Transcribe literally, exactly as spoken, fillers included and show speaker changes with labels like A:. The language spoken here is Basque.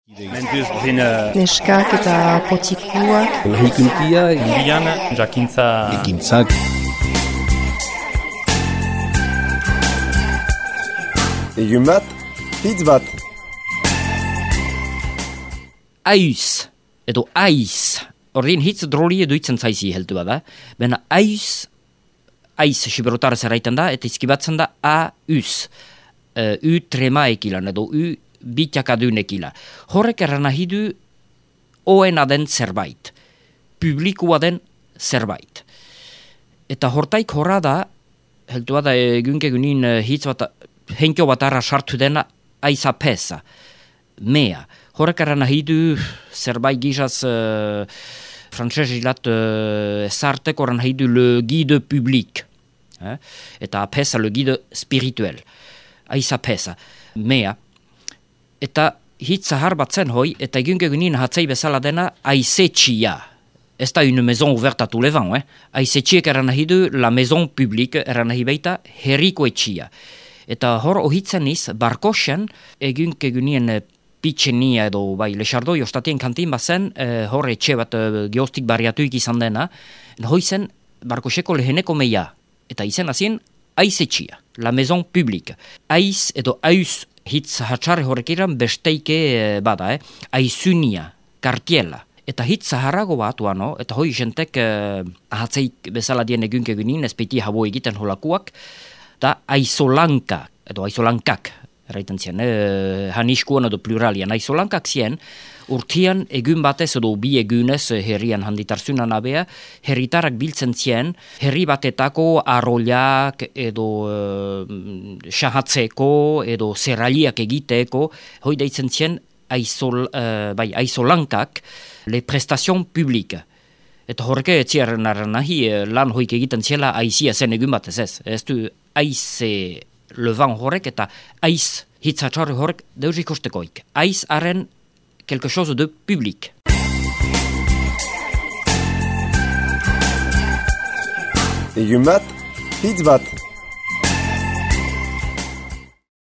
A: Neskak eta potikuak.
B: Lahikuntia,
C: Irian, jakintza...
B: ekintzak.
D: Egun bat, hitz bat.
E: Aiz, edo aiz. Horrein hitz droli edo itzen zaizi heldu bada. Baina aiz, aiz siberotarez erraiten da, eta izkibatzen da a-uz. Uh, u trema ekilan, edo u bitiakadun ekila. Horrek erran nahi du oena den zerbait. Publikua den zerbait. Eta hortaik horra da, heldu bada egunke egunin hitz bat, henkio bat arra sartu dena aiza pesa. Mea. Horrek erran nahi du zerbait gizaz uh, frantzesilat uh, ezartek horren nahi du le guide public. Eh? Eta pesa le guide spirituel. Aiza pesa. Mea. Eta hitz zahar bat zen hoi, eta egun egunin hatzei bezala dena aizetxia. Ez da une maison ouverte à tous les vents. Eh? Aizetxiek erran nahi du la maison publique, erran nahi baita herriko etxia. Eta hor ohitzen iz, barkosen egun egunien pitxenia edo bai lexardoi ostatien kantin bazen eh, hor etxe bat eh, geostik barriatuik izan dena, hoi zen barkoseko leheneko meia, eta izen azien aizetxia, la maison publique. Aiz edo aiz hitz hatxarre horrek iran besteike eh, bada, eh? Aizunia, kartiela. Eta hitz zaharrago bat uano, eta hoi jentek eh, ahatzeik bezala dien egunk egunin, espeti habo egiten holakuak, da aizolanka, edo aizolankak, erraiten zien, eh, haniskuan edo pluralian, aizolankak zien, urtian egun batez edo bi egunez herrian handitarzunan abea, herritarak biltzen zien, herri batetako arroiak edo eh, sahatzeko edo zerraliak egiteko, hoi deitzen zien aizol, eh, bai, aizolankak, le prestation publique. Eta horreke etziaren nahi lan hoik egiten ziela aizia zen egun batez ez. Ez du aize levan horrek eta aiz hitzatxarri horrek deus ikostekoik. Aiz haren quelque chose de public.
D: Egun bat, hitz bat.